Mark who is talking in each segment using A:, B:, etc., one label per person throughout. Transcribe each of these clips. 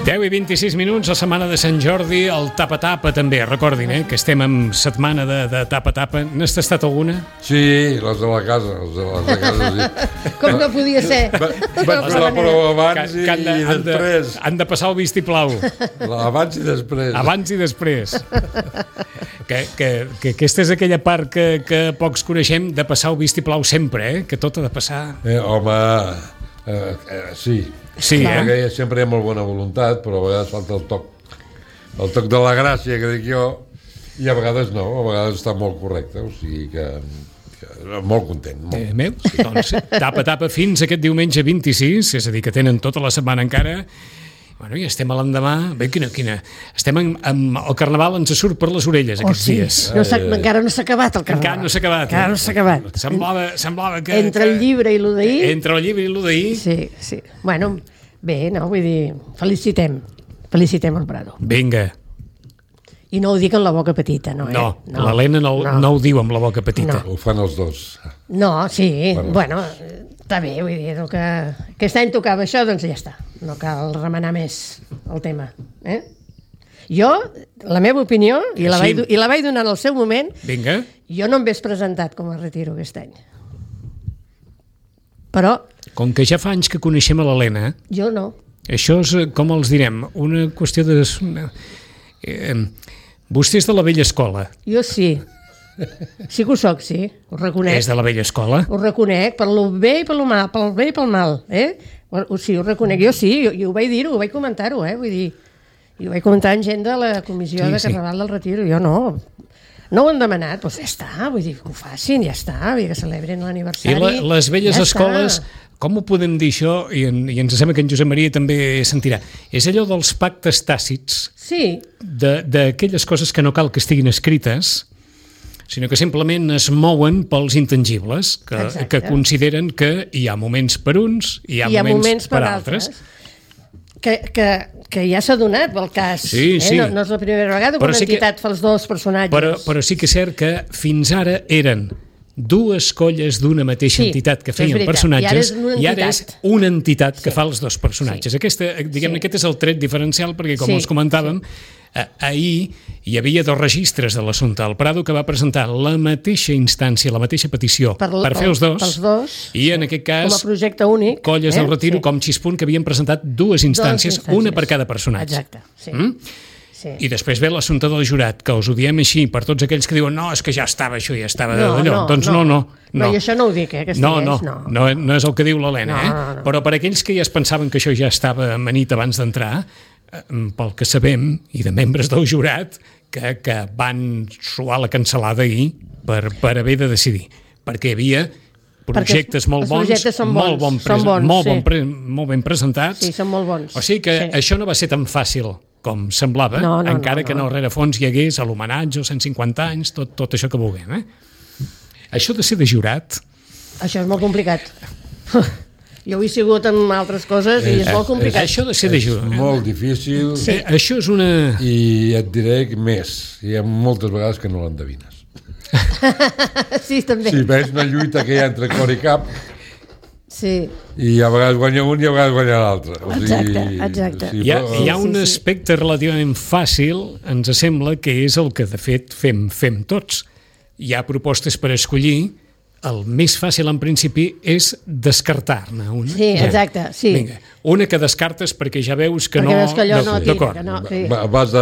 A: 10:26, la setmana de Sant Jordi, el tapa-tapa també, recordin, que estem en setmana de tapa-tapa. N'has tastat alguna?
B: Sí, les de la casa, sí.
C: Com no podia ser.
B: Vaig fer la prova abans i després.
A: Han de passar el vistiplau.
B: Abans i després.
A: Abans i després. Que aquesta és aquella part que pocs coneixem, de passar el vistiplau sempre, que tot ha de passar.
B: Home, sí.
A: Sí,
B: perquè sempre hi ha molt bona voluntat, però a vegades falta el toc de la gràcia, que dic jo, i a vegades no, a vegades està molt correcte, o sigui que molt content. Molt.
A: Doncs tapa fins aquest diumenge 26, és a dir, que tenen tota la setmana encara. Bueno, i estem a l'endemà. Bé, quina. Estem el carnaval ens surt per les orelles aquests dies.
C: Encara no s'ha acabat el carnaval.
A: Encara no s'ha acabat. Semblava que...
C: Entre el llibre i l'u d'ahir.
A: Entre el llibre i l'u d'ahir.
C: Sí. Bueno, bé, no? Vull dir, felicitem el Prado.
A: Vinga.
C: I no ho dic amb la boca petita, no,
A: No, l'Helena no ho diu amb la boca petita.
B: Ho fan els dos.
C: No, sí, bueno, està bé, vull dir, que aquest any tocava això, doncs ja està. No cal remenar més el tema. Jo, la meva opinió, i la vaig donar en el seu moment,
A: Vinga.
C: Jo no em ves presentat com a retiro aquest any. Però...
A: Com que ja fa anys que coneixem a l'Helena...
C: Jo no.
A: Això és, com els direm, una qüestió de... Vostè és de la vella escola.
C: Jo sí. Sí que ho soc, sí. Ho reconec.
A: És de la vella escola?
C: Ho reconec, per lo bé i per lo mal, pel bé i pel mal. Sí, ho reconec. Jo sí, jo ho vaig dir-ho, ho vaig comentar-ho, vull dir... I ho vaig comentar amb gent de la comissió de Carnaval del Retiro. Jo no ho han demanat, doncs ja està, vull dir, que ho facin, ja està, vull dir, que celebrin l'aniversari.
A: I les velles escoles, com ho podem dir això, i ens sembla que en Josep Maria també sentirà, és allò dels pactes tàcits,
C: sí,
A: d'aquelles coses que no cal que estiguin escrites, sinó que simplement es mouen pels intangibles, que consideren que hi ha moments per uns i hi ha moments per altres.
C: Que ja s'ha donat el cas.
A: Sí.
C: No és la primera vegada que una entitat fa els dos personatges.
A: Però sí que és cert que fins ara eren dues colles d'una mateixa entitat que feien personatges i ara és una entitat que fa els dos personatges. Aquest és el tret diferencial, perquè com els comentàvem, ahir hi havia dos registres de l'assumpte. El Prado, que va presentar la mateixa instància, la mateixa petició per fer els dos, i en aquest cas
C: com a projecte únic,
A: colles del Retiro com Xispunt, que havien presentat dues instàncies, una per cada personatge.
C: Exacte, sí.
A: I després ve l'assumpte del jurat, que us ho diem així per tots aquells que diuen no, és que ja estava això, ja estava d'allò. Doncs no.
C: No, i això no ho dic,
A: No és el que diu l'Helena, però per aquells que ja es pensaven que això ja estava amanit abans d'entrar, pel que sabem, i de membres del jurat, que van suar la cansalada ahir per haver de decidir, perquè hi havia projectes molt bons, molt ben presentats.
C: Sí, són molt bons.
A: O sigui que això no va ser tan fàcil com semblava, encara que en el rerefons hi hagués l'homenatge, els 150 anys, tot això que vulguem. Això de ser de jurat...
C: Això és molt complicat. Jo he sigut amb altres coses i és molt complicat.
A: Això de ser de jurat...
B: És molt difícil.
A: Sí. Això és una...
B: I et diré més, hi ha moltes vegades que no l'endevines.
C: Sí, també.
B: Si veus una lluita que hi ha entre cor i cap,
C: sí.
B: I a vegades guanya un i a vegades guanya l'altre.
C: Exacte.
A: Hi ha un aspecte relativament fàcil, ens sembla, que és el que de fet fem tots. Hi ha propostes per escollir, el més fàcil en principi és descartar-ne una.
C: Sí, exacte, sí.
A: Vinga, una que descartes perquè ja veus que
C: perquè veus que allò no tira,
A: d'acord.
C: Que no, sí.
B: Vas de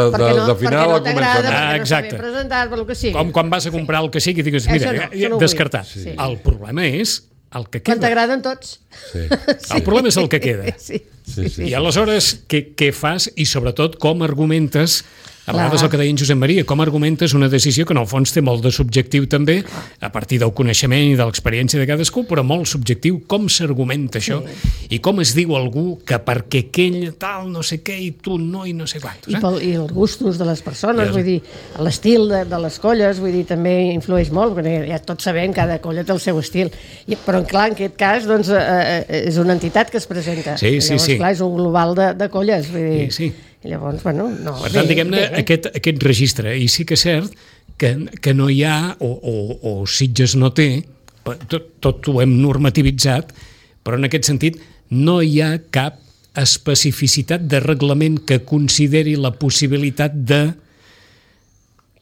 B: final a començar.
C: Perquè no està ben presentat, pel que sigui.
A: Com quan vas a comprar el que sigui i digues, mira, descartat.
C: Sí.
A: El problema és el que queda.
C: Quan t'agraden tots.
B: Sí.
A: El problema és el que queda.
C: Sí.
A: I aleshores, què fas i sobretot com argumentes, a vegades el que deia en Josep Maria, com argumentes una decisió que en el fons té molt de subjectiu també, a partir del coneixement i de l'experiència de cadascú, però molt subjectiu, com s'argumenta això i com es diu algú que perquè aquell tal no sé què i tu no i no sé quantos.
C: I els gustos de les persones, vull dir, l'estil de les colles, vull dir, també influeix molt, perquè ja tots sabem, cada colla té el seu estil, però clar, en aquest cas doncs, és una entitat que es presenta. Llavors, clar, és un global de colles, vull dir...
A: Sí.
C: I llavors, bueno, no...
A: Per tant, diguem-ne, aquest registre, i sí que és cert que no hi ha, o Sitges no té, tot ho hem normativitzat, però en aquest sentit no hi ha cap especificitat de reglament que consideri la possibilitat de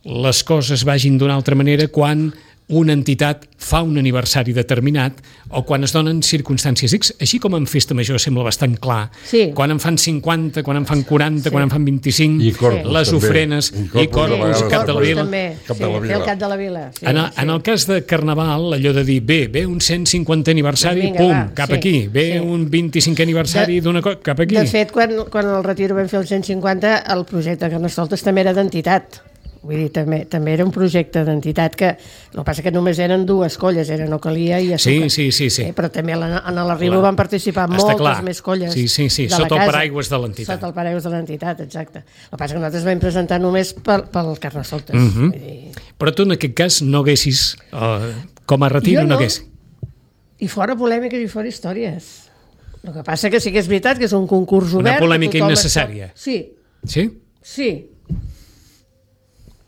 A: les coses vagin d'una altra manera quan una entitat fa un aniversari determinat o quan es donen circumstàncies X. Així com en festa major sembla bastant clar.
C: Sí.
A: Quan en fan 50, quan en fan 40, quan en fan 25, les ofrenes, i Corpus, Cap de la Vila.
C: El Cap de la Vila.
A: En el cas de Carnaval, allò de dir, ve un 150 aniversari, cap aquí. Ve un 25 aniversari d'una cosa, cap aquí.
C: De fet, quan el Retiro vam fer el 150, el projecte Carnestoltes també era d'entitat. Vull dir, també era un projecte d'entitat que el que passa que només eren 2 colles, era Ocalia i Azúcar.
A: Sí.
C: Però també en l'Arribo van participar moltes més colles
A: de la casa. Sota el paraigües de l'entitat.
C: Sota el paraigües de l'entitat, exacte. El que passa que nosaltres vam presentar només pel Carnestoltes.
A: Però tu en aquest cas no haguessis, com a Retiro no haguessis.
C: I fora polèmiques i fora històries. El que passa que sí que és veritat que és un concurs obert.
A: Una polèmica innecessària.
C: Sí.
A: Sí?
C: Sí.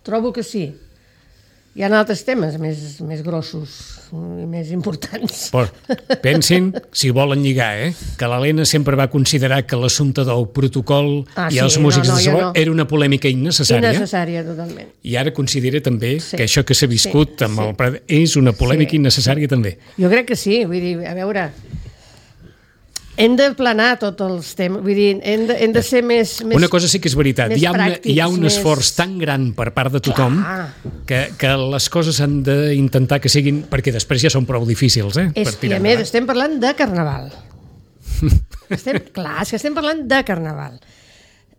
C: Trobo que sí. Hi ha altres temes més grossos i més importants.
A: Però pensin, si volen lligar, que l'Helena sempre va considerar que l'assumpte del protocol i els músics de sabor era una polèmica innecessària.
C: Innecessària, totalment.
A: I ara considera també que això que s'ha viscut amb el Prat és una polèmica innecessària també.
C: Jo crec que sí, vull dir, a veure... Hem de planar tots els temes, vull dir, hem de ser més
A: una cosa sí que és veritat, hi ha un esforç tan gran per part de tothom que les coses han d'intentar que siguin, perquè després ja són prou difícils, per tirar endavant.
C: I a més, estem parlant de Carnaval. Clar, és que estem parlant de Carnaval.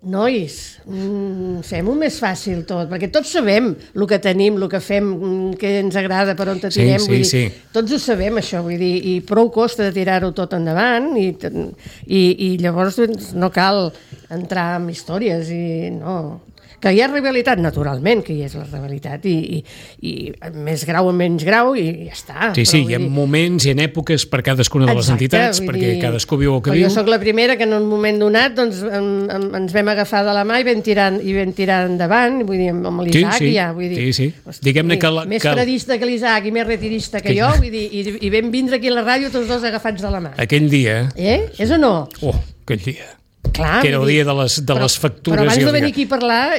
C: Nois, fem-ho més fàcil tot, perquè tots sabem el que tenim, el que fem, que ens agrada, per on te tirem, vull dir, tots ho sabem això, vull dir, i prou costa de tirar-ho tot endavant, i llavors no cal entrar en històries, i no... Que hi ha rivalitat, naturalment, que hi és la rivalitat, i més grau o menys grau, i ja està.
A: Sí, hi ha moments i en èpoques per cadascuna de les entitats, perquè cadascú viu el que viu.
C: Jo soc la primera que en un moment donat ens vam agafar de la mà i vam tirar endavant, vull dir, amb l'Isaac ja, vull dir...
A: Sí. Diguem-ne que...
C: Més predista que l'Isaac i més retirista que jo, vull dir, i vam vindre aquí a la ràdio tots dos agafats de la mà.
A: Aquell dia...
C: És o no?
A: Aquell dia...
C: Clar,
A: que era el dia de les factures.
C: Però abans de venir aquí a parlar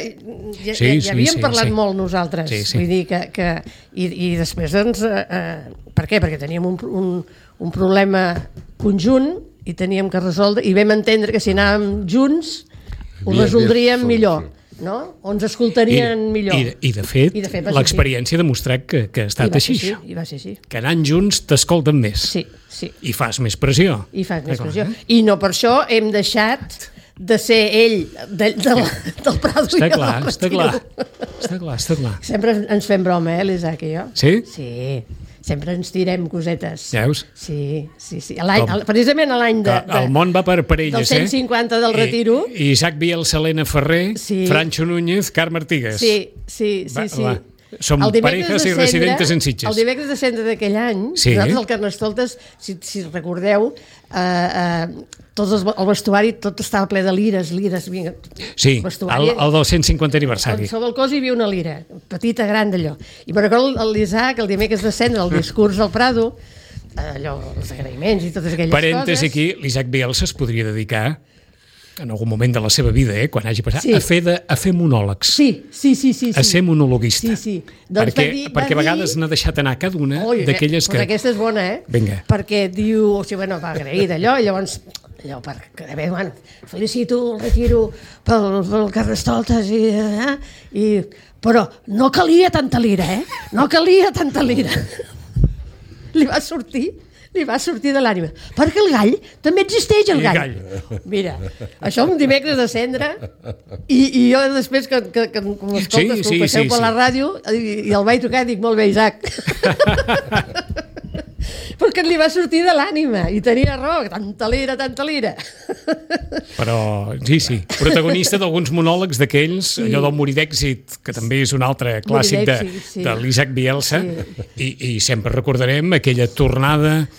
C: ja havíem parlat molt nosaltres. Vull dir que i després doncs per què? Perquè teníem un problema conjunt i teníem que resoldre, i vam entendre que si anàvem junts ho resoldríem millor, no? O ens escoltarien millor.
A: I de fet l'experiència ha demostrat que ha estat així.
C: I va ser així.
A: Que anant junts t'escolten més.
C: Sí.
A: I fas més pressió.
C: I no per això hem deixat de ser ell del Prado i del Retiro.
A: Està clar.
C: Sempre ens fem broma, l'Isaac i jo.
A: Sí?
C: Sí. Sempre ens tirem cosetes.
A: Veus?
C: Sí. Precisament a l'any
A: el món va per elles,
C: del 150 del Retiro.
A: Isaac Bielsa, Helena Ferrer, Francho Núñez, Carme Artigas.
C: Sí.
A: Som parejas i residentes en Sitges.
C: El dimecres de cendre d'aquell any, nosaltres al Carnestoltes, si recordeu, el vestuari tot estava ple de lires.
A: Sí, el del 150 aniversari.
C: Sobre el cos hi havia una lira, petita, gran d'allò. I per recordo l'Isaac, el dimecres de cendre, el discurs al Prado, allò, els agraïments i totes aquelles coses.
A: Parèntesi aquí, l'Isaac Bielsa es podria dedicar en algun moment de la seva vida, quan hagi passat, a fer monòlegs.
C: Sí.
A: A ser monologuista.
C: Sí.
A: Doncs perquè a vegades n'ha deixat anar cada una d'aquelles que...
C: Aquesta és bona,
A: Vinga.
C: Perquè diu, va agrair d'allò, i llavors, felicito el Retiro pel Carnestoltes, però no calia tanta lira, No calia tanta lira. Li va sortir de l'ànima. Perquè el gall també existeix, el gall. Mira, això un dimecres de cendre, i jo després que m'escoltes, que ho passeu per la ràdio, i el vaig trucar i dic, molt bé, Isaac. Perquè li va sortir de l'ànima, i tenia raó, tanta lira.
A: Però, sí, protagonista d'alguns monòlegs d'aquells, allò del Morir d'èxit, que també és un altre clàssic de l'Isaac Bielsa, i sempre recordarem aquella tornada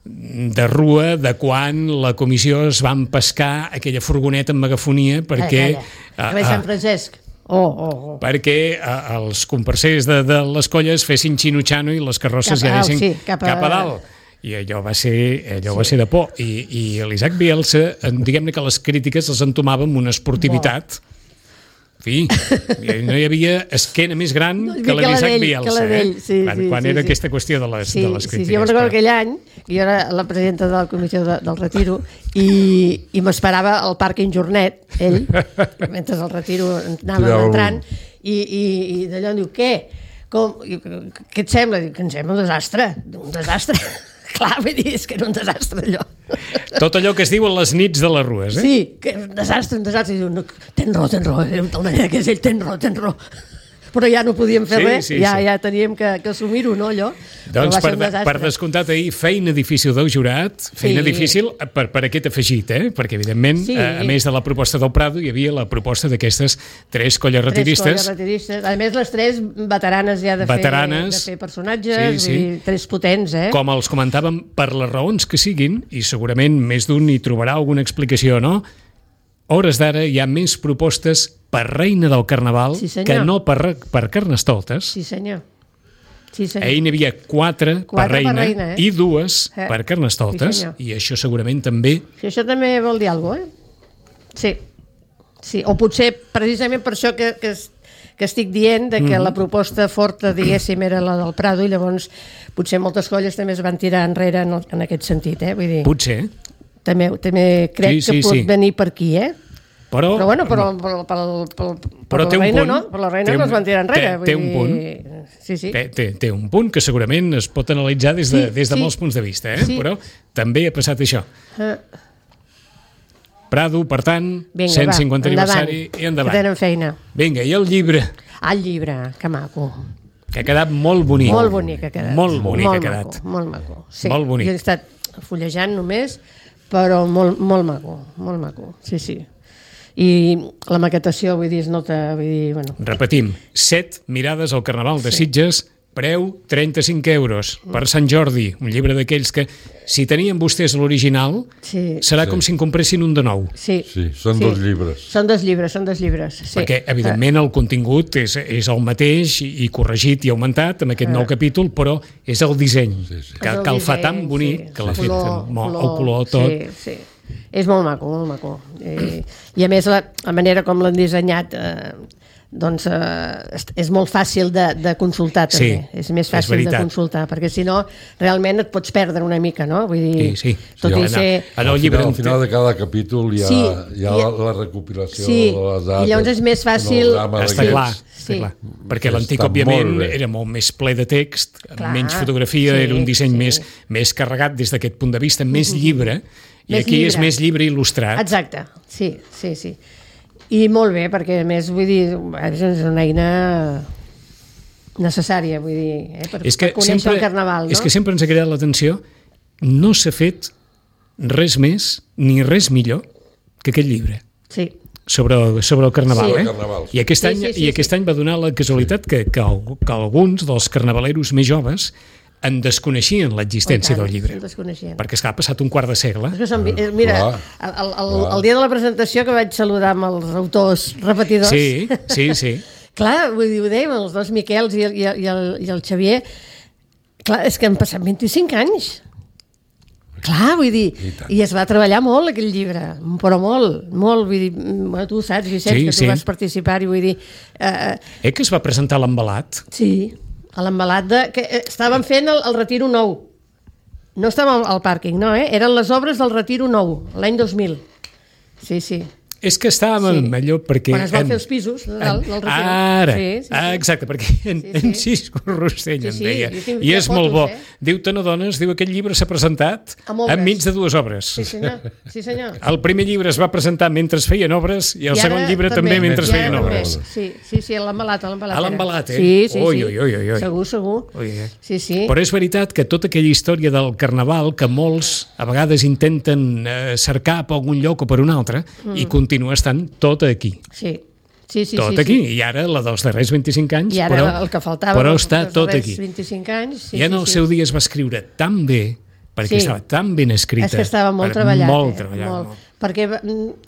A: de rua de quan la comissió es va empescar aquella furgoneta amb megafonia perquè...
C: Sant Francesc.
A: Perquè els comparsers de les colles fessin xino-xano i les carrosses ja anessin cap a dalt. i allò va ser de por. I l'Isaac Bielsa, diguem-ne que les crítiques les entomava amb una esportivitat. En fi, no hi havia esquena més gran que la d'Isaac Bielsa, quan era aquesta qüestió de les crítiques.
C: Sí, jo recordo aquell any, jo era la presidenta de la comissió del Retiro, i m'esperava al pàrquing Jornet, ell, mentre el Retiro anàvem entrant, i d'allò em diu, què et sembla? Dic, em sembla un desastre. Clar, vull dir, és que era un desastre allò.
A: Tot allò que es diu a les nits de les rues, eh?
C: Sí, que un desastre. I diu, no, ten raó, de tal manera que és ell, ten raó. Però ja no podíem fer res, ja teníem que assumir-ho, no, allò?
A: Doncs per descomptat ahir, feina difícil del jurat, feina difícil per aquest afegit, perquè evidentment, a més de la proposta del Prado, hi havia la proposta d'aquestes 3 colles retiristes. A més, les 3 veteranes ja de fer personatges, vull dir, 3 potents, Com els comentàvem, per les raons que siguin, i segurament més d'un hi trobarà alguna explicació, no? Hores d'ara hi ha més propostes per reina del Carnaval que no per Carnestoltes.
C: Sí, senyor.
A: Ahir n'hi havia 4 per reina i 2 per Carnestoltes, i això segurament també...
C: Sí, això també vol dir alguna cosa, Sí, o potser precisament per això que estic dient que la proposta forta, diguéssim, era la del Prado, i llavors potser moltes colles també es van tirar enrere en aquest sentit, vull dir...
A: Potser.
C: També crec que pot venir per aquí, Però bueno, per la reina no, per la reina no es van tirar enrere.
A: Té un punt.
C: Sí.
A: Té un punt que segurament es pot analitzar des de molts punts de vista, però també ha passat això. Prado, per tant, 150 aniversari i endavant.
C: Que tenen feina.
A: Vinga, i el llibre?
C: El llibre, que maco.
A: Que ha quedat molt bonic.
C: Molt bonic ha quedat.
A: Molt bonic ha quedat.
C: Molt maco.
A: Molt bonic.
C: Jo he estat fullejant només, però molt maco, sí. I la maquetació, vull dir, es nota... Bueno.
A: Repetim, 7 mirades al Carnaval de Sitges, preu 35 euros per Sant Jordi, un llibre d'aquells que, si tenien vostès l'original, serà com si en compressin un de nou.
B: Sí, són 2 llibres.
C: Són dos llibres, sí.
A: Perquè, evidentment, el contingut és el mateix i corregit i augmentat amb aquest nou capítol, però és el disseny, que el fa tan bonic, que l'ha fet el color tot.
C: Sí. És molt maco. I a més la manera com l'han dissenyat doncs és molt fàcil de consultar també. És més fàcil de consultar, perquè si no realment et pots perdre una mica, no? Vull dir, tot i ser...
B: Al final de cada capítol hi ha la recopilació de les dates.
C: I llavors és més fàcil...
A: Està clar. Perquè l'antic, òbviament, era molt més ple de text, menys fotografia, era un disseny més carregat des d'aquest punt de vista, més llibre, i aquí és més llibre il·lustrat.
C: Exacte, sí. I molt bé, perquè a més, vull dir, és una eina necessària, vull dir, per conèixer el Carnaval, no?
A: És que sempre ens ha cridat l'atenció, no s'ha fet res més ni res millor que aquest llibre.
C: Sí.
A: Sobre el Carnaval, I aquest any va donar la casualitat que alguns dels carnavaleros més joves en desconeixien l'existència del llibre. Perquè ha passat un quart de segle.
C: Mira, el dia de la presentació que vaig saludar amb els autors repetidors...
A: Sí.
C: Clar, vull dir, ho dèiem, els 2 Miquels i el Xavier, clar, és que han passat 25 anys. Clar, vull dir, i es va treballar molt aquell llibre, però molt, vull dir, tu ho saps, Vicenç, que tu vas participar-hi, vull dir...
A: Que es va presentar l'embalat?
C: Sí, a l'embalat que estaven fent el Retiro Nou. No estàvem al pàrquing, no, eren les obres del Retiro Nou, l'any 2000. Sí.
A: És que estàvem allò perquè...
C: Quan es van fer els pisos del Retiro.
A: Ara, exacte, perquè en Cisco Rossell em deia, i és molt bo. Diu, te n'adones, diu, aquest llibre s'ha presentat enmig de 2 obres.
C: Sí, senyor.
A: El primer llibre es va presentar mentre es feien obres i el segon llibre també mentre es feien obres.
C: Sí, a l'embalat.
A: A l'embalat,
C: Sí.
A: Ui.
C: Segur. Sí.
A: Però és veritat que tota aquella història del Carnaval que molts a vegades intenten cercar per algun lloc o per un altre i continua estant tot aquí.
C: Sí.
A: Tot aquí. I ara, la dels darrers 25 anys, però està tot aquí.
C: 25 anys,
A: I en el seu dia es va escriure tan bé, perquè estava tan ben escrita.
C: És que estava molt treballat. perquè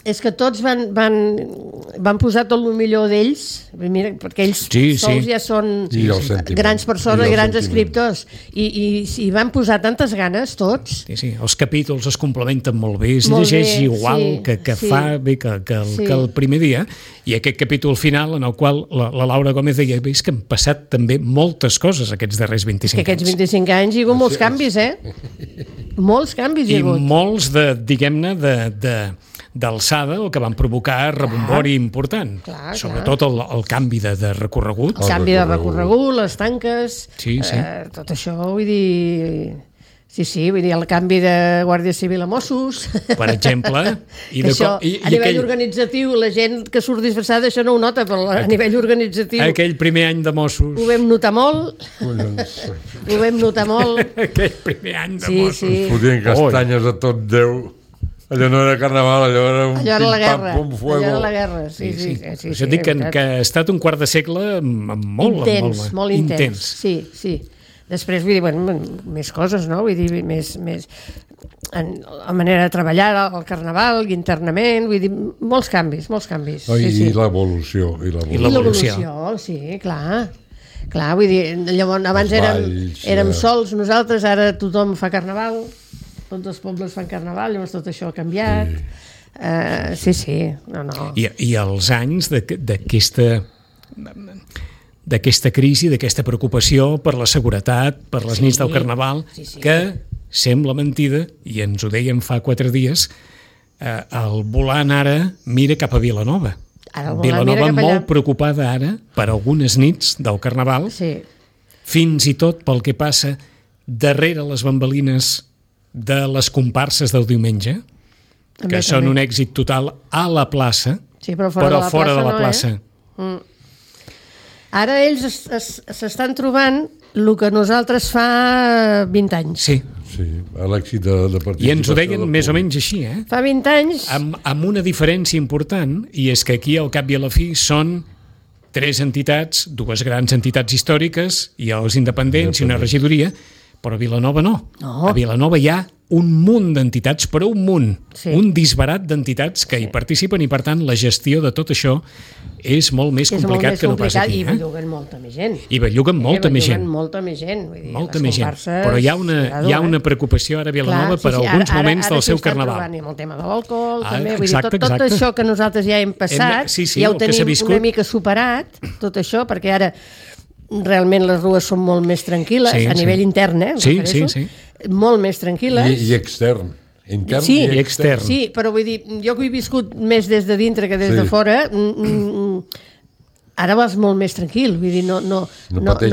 C: és que tots van posar tot el millor d'ells, perquè ells sols ja són grans persones, grans escriptors, i van posar tantes ganes tots.
A: Sí, els capítols es complementen molt bé, es llegeix igual que fa bé que el primer dia, i aquest capítol final en el qual la Laura Gómez deia és que han passat també moltes coses aquests darrers 25 anys.
C: Aquests 25 anys hi ha hagut molts canvis, molts canvis hi ha hagut.
A: I molts, diguem-ne, d'alçada, el que van provocar rebombori important. Sobretot el canvi de recorregut.
C: El canvi de recorregut, les tanques, tot això, vull dir... Sí, vull dir, el canvi de Guàrdia Civil a Mossos.
A: Per exemple.
C: A nivell organitzatiu, la gent que surt disfressada això no ho nota, però a nivell organitzatiu...
A: Aquell primer any de Mossos.
C: Ho vam notar molt.
A: Aquell primer any de Mossos.
B: Ens fotien castanyes a tot Déu. Allò no era carnaval, allò era un pim-pam-pum fuego.
C: Allò era la guerra, sí.
A: Això dic que ha estat un quart de segle molt
C: intens. Sí. Després, vull dir, més coses, no? Vull dir, més la manera de treballar, el carnaval, internament, vull dir, molts canvis.
B: I l'evolució.
C: I l'evolució, sí, clar. Clar, vull dir, llavors abans érem sols nosaltres, ara tothom fa carnaval, tots els pobles fan carnaval, llavors tot això ha canviat. Sí. No.
A: I els anys d'aquesta crisi, d'aquesta preocupació per la seguretat, per les nits del Carnaval, que sembla mentida, i ens ho deien fa 4 dies, el volant ara mira cap a Vilanova. Vilanova molt preocupada ara per algunes nits del Carnaval, fins i tot pel que passa darrere les bambalines de les comparses del diumenge, que són un èxit total a la plaça, però fora de la plaça.
C: Ara ells s'estan trobant el que nosaltres fa 20 anys.
A: Sí,
B: l'èxit de participació.
A: I ens ho deien més o menys així,
C: Fa 20 anys...
A: Amb una diferència important, i és que aquí al cap i a la fi són 3 entitats, 2 grans entitats històriques, i els independents i una regidoria, però a Vilanova no. A Vilanova hi ha un munt d'entitats, però un munt, un disbarat d'entitats que hi participen, i per tant la gestió de tot això és molt més complicat que no pas aquí.
C: I belluguen molta més gent.
A: Molta més gent.
C: Molta més gent.
A: Però hi ha una preocupació ara a Vilanova per alguns moments del seu carnaval.
C: Ara amb el tema de l'alcohol, també. Tot això que nosaltres ja hem passat, ja ho tenim una mica superat, tot això, perquè ara realment les rues són molt més tranquil·les, a nivell intern,
A: Sí.
C: Molt més tranquil·les.
B: I extern. Intern
A: i extern.
C: Sí, però vull dir, jo que he viscut més des de dintre que des de fora, ara vas molt més tranquil, vull dir, no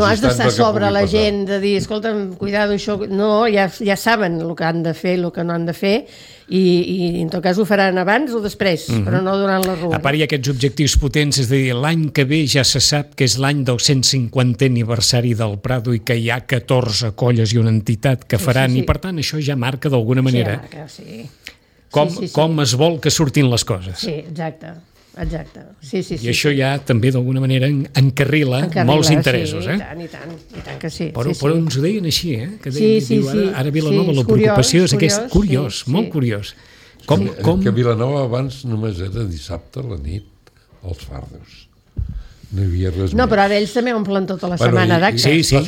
C: has d'estar sobre la gent, de dir, escolta'm, cuidado, això... No, ja saben el que han de fer, el que no han de fer, i en tot cas ho faran abans o després, però no durant la rua.
A: A part hi ha aquests objectius potents, és a dir, l'any que ve ja se sap que és l'any del 150è aniversari del Prado i que hi ha 14 colles i una entitat que faran, i per tant això ja marca d'alguna manera com es vol que surtin les coses.
C: Sí, exacte. Sí.
A: I això ja també d'alguna manera encarrila molts interessos.
C: I tant que sí.
A: Però ens ho deien així, que deien, ara a Vilanova la preocupació és aquesta. Curiós, molt curiós.
B: Que Vilanova abans només era dissabte a la nit, als fardos. No hi havia res més.
C: No, però ara ells també omplen tota la setmana d'actes.
B: Sí. Les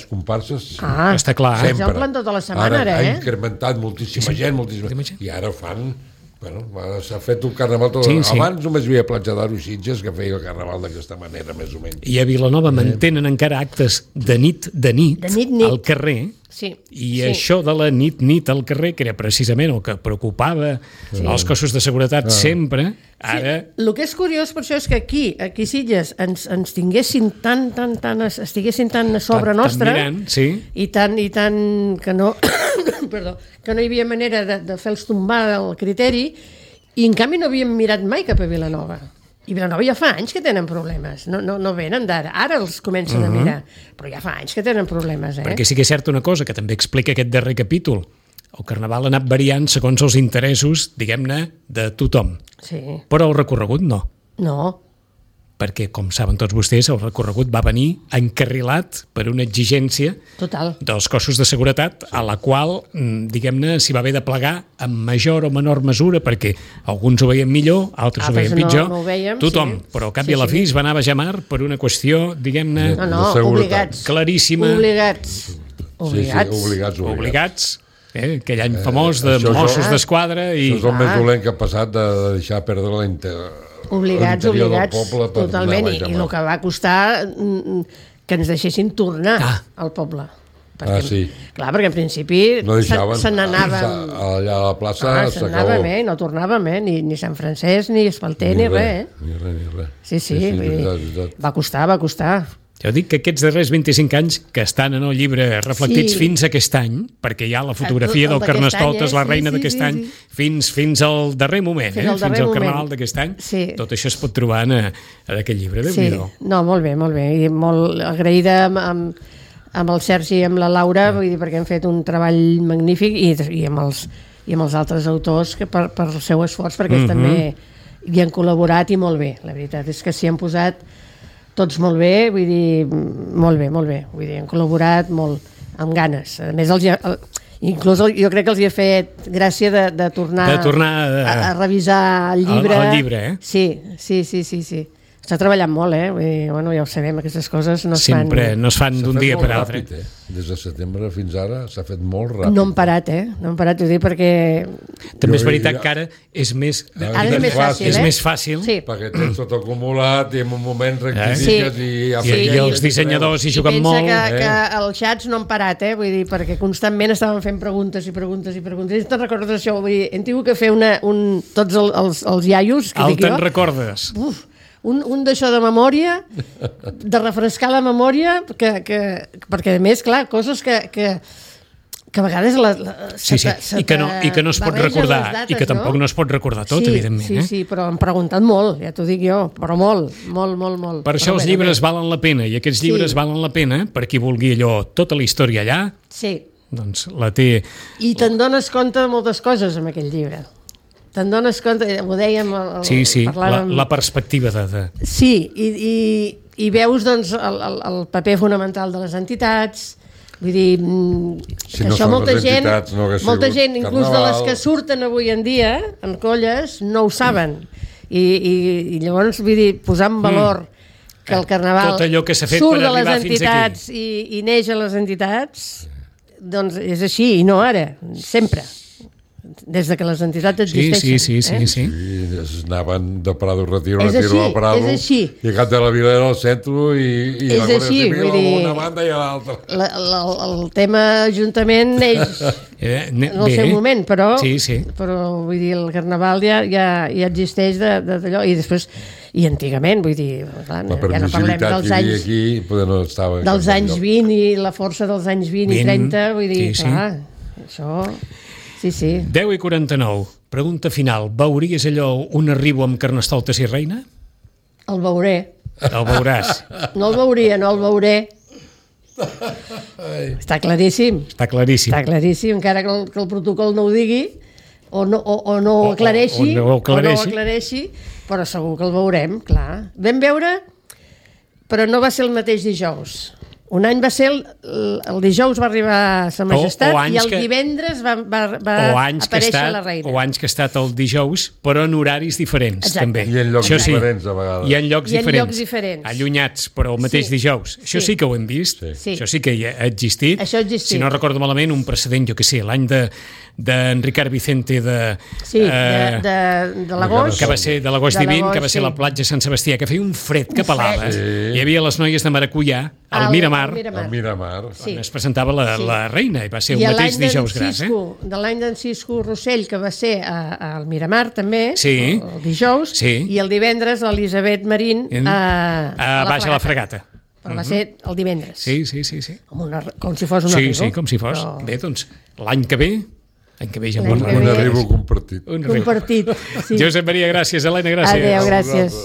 B: comparses
A: està clar.
C: Ells omplen tota la setmana,
B: ara. Ha incrementat moltíssima gent, i ara fan... s'ha fet un carnaval tot. Abans només hi havia Platja d'Aro i Sitges que feia el carnaval d'aquesta manera, més o menys.
A: I a Vilanova mantenen encara actes de nit al carrer. Això de la nit al carrer, que era precisament el que preocupava els cossos de seguretat sempre, ara...
C: El que és curiós per això és que aquí a Sitges ens tinguessin estiguessin tan a sobre nostra, i tant que no... Perdó, que no hi havia manera de fer-los tombar el criteri, i en canvi no havíem mirat mai cap a Vilanova. I Vilanova ja fa anys que tenen problemes, no venen d'ara, ara els comencen a mirar, però ja fa anys que tenen problemes.
A: Perquè sí que és certa una cosa, que també explica aquest darrer capítol, el carnaval ha anat variant segons els interessos, diguem-ne, de tothom.
C: Sí.
A: Però el recorregut no.
C: No.
A: perquè, com saben tots vostès, el recorregut va venir encarrilat per una exigència dels cossos de seguretat a la qual, diguem-ne, s'hi va haver de plegar en major o menor mesura, perquè alguns ho veien millor, altres ho veien pitjor, tothom, però al cap i a la fi es va anar a Bajamar per una qüestió, diguem-ne, claríssima. Obligats. Aquell any famós de Mossos d'Esquadra.
B: Això és el més dolent que ha passat, de deixar perdre
C: obligats, totalment, i el que va costar que ens deixessin tornar al poble. Clar, perquè en principi se n'anaven
B: allà a la plaça,
C: no tornàvem, ni Sant Francesc, ni Espalter, ni res. Sí, va costar.
A: Jo dic que aquests darrers 25 anys que estan en el llibre reflectits fins a aquest any, perquè hi ha la fotografia del Carnestoltes, la reina d'aquest any, fins al darrer moment, fins al Carnaval d'aquest any, tot això es pot trobar en aquest llibre.
C: No, molt bé, i molt agraïda amb el Sergi i amb la Laura, vull dir, perquè han fet un treball magnífic, i amb els altres autors per el seu esforç, perquè ells també hi han col·laborat i molt bé. La veritat és que s'hi han posat tots molt bé, vull dir, molt bé, vull dir, han col·laborat molt, amb ganes. A més, inclús jo crec que els hi ha fet gràcia de tornar a revisar el llibre.
A: El llibre,
C: Sí. Està treballant molt, Vull dir, bueno, ja ho sabem, aquestes coses no
A: es fan d'un dia per altre.
B: Des de setembre fins ara s'ha fet molt ràpid.
C: No hem parat, ho dic perquè...
A: També és veritat que ara és més fàcil.
B: Perquè tens tot acumulat i en un moment rectifiques
A: i els dissenyadors hi juguen molt.
C: Pensa que els xats no han parat, vull dir, perquè constantment estaven fent preguntes. I te'n recordes això? Vull dir, hem tingut que fer tots els iaios...
A: Te'n recordes?
C: Un d'això de memòria, de refrescar la memòria, perquè a més, clar, coses que a vegades
A: i que no es pot recordar, i que tampoc no es pot recordar tot, evidentment.
C: Sí, però han preguntat molt, ja t'ho dic jo, però molt.
A: Per això els llibres valen la pena, i aquests llibres valen la pena per qui vulgui allò, tota la història allà, doncs la té...
C: I te'n dones compte de moltes coses amb aquell llibre. Te'n dones compte, ho dèiem...
A: La perspectiva de...
C: Sí, i veus doncs, el paper fonamental de les entitats, vull dir, que això molta gent, inclús de les que surten avui en dia, en colles, no ho saben. I llavors, vull dir, posar en valor que el Carnaval surt de les entitats i neix a les entitats, doncs és així, i no ara, sempre. Des que les entitats existeixen.
B: Sí. Anaven de Prado Retiro a Prado, i cap de la Vila era al centre i la Guàrdia Civil a una banda i a l'altra.
C: El tema Ajuntament neix en el seu moment, però vull dir, el Carnaval ja existeix d'allò, i després i antigament, vull dir, ja no parlem dels anys 20 i la força dels anys 20 i 30, vull dir, clar, això... Sí.
A: 10:49. Pregunta final. Veuries allò un arribo amb Carnestoltes i reina?
C: El veuré.
A: El veuràs.
C: No el veuria, no el veuré. Està claríssim.
A: Està claríssim,
C: encara que el protocol no ho digui, o no ho aclareixi, però segur que el veurem, clar. Vam veure, però no va ser el mateix dijous. Un any va ser el dijous va arribar a Sa Majestat i el divendres va aparèixer la reina.
A: O anys que ha estat el dijous, però en horaris diferents. També.
B: I en llocs diferents a vegades.
A: I en llocs diferents. Allunyats, però el mateix dijous. Això sí que ho hem vist. Això sí que ha existit. Si no recordo malament, un precedent, jo què sé, l'any d'en Ricard Vicente de
C: l'agost,
A: que va ser de l'agost divint, que va ser a la platja Sant Sebastià, que feia un fred que pelava. Hi havia les noies de Maracuyà al Miramar, on es presentava la reina, i va ser el mateix dijous gras.
C: De l'any d'en Cisco Rossell, que va ser al Miramar també, el dijous, i el divendres l'Elisabet Marín a
A: Baix a la Fregata.
C: Però va ser el divendres.
A: Sí.
C: Com si fos un arribo.
A: Sí, com si fos. Bé, doncs, l'any que ve ja
B: un arribo compartit.
C: Compartit, sí.
A: Josep Maria, gràcies. Helena, gràcies.
C: Adéu, gràcies.